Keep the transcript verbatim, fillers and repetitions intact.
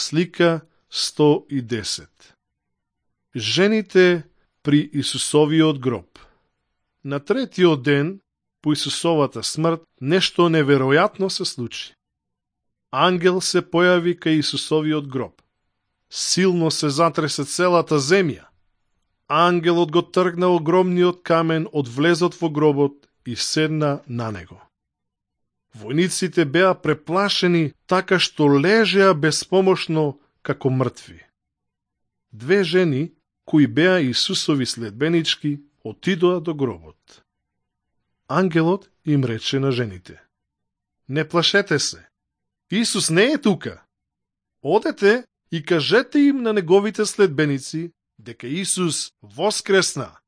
Слика сто и десет. Жените при Исусовиот гроб. На третиот ден по Исусовата смрт нешто неверојатно се случи. Ангел се појави кај Исусовиот гроб. Силно се затресе целата земја. Ангелот го тргна огромниот камен од влезот во гробот и седна на него. Војниците беа преплашени така што лежеа беспомошно како мртви. Две жени, кои беа Исусови следбенички, отидоа до гробот. Ангелот им рече на жените: не плашете се, Исус не е тука. Одете и кажете им на неговите следбеници дека Исус воскресна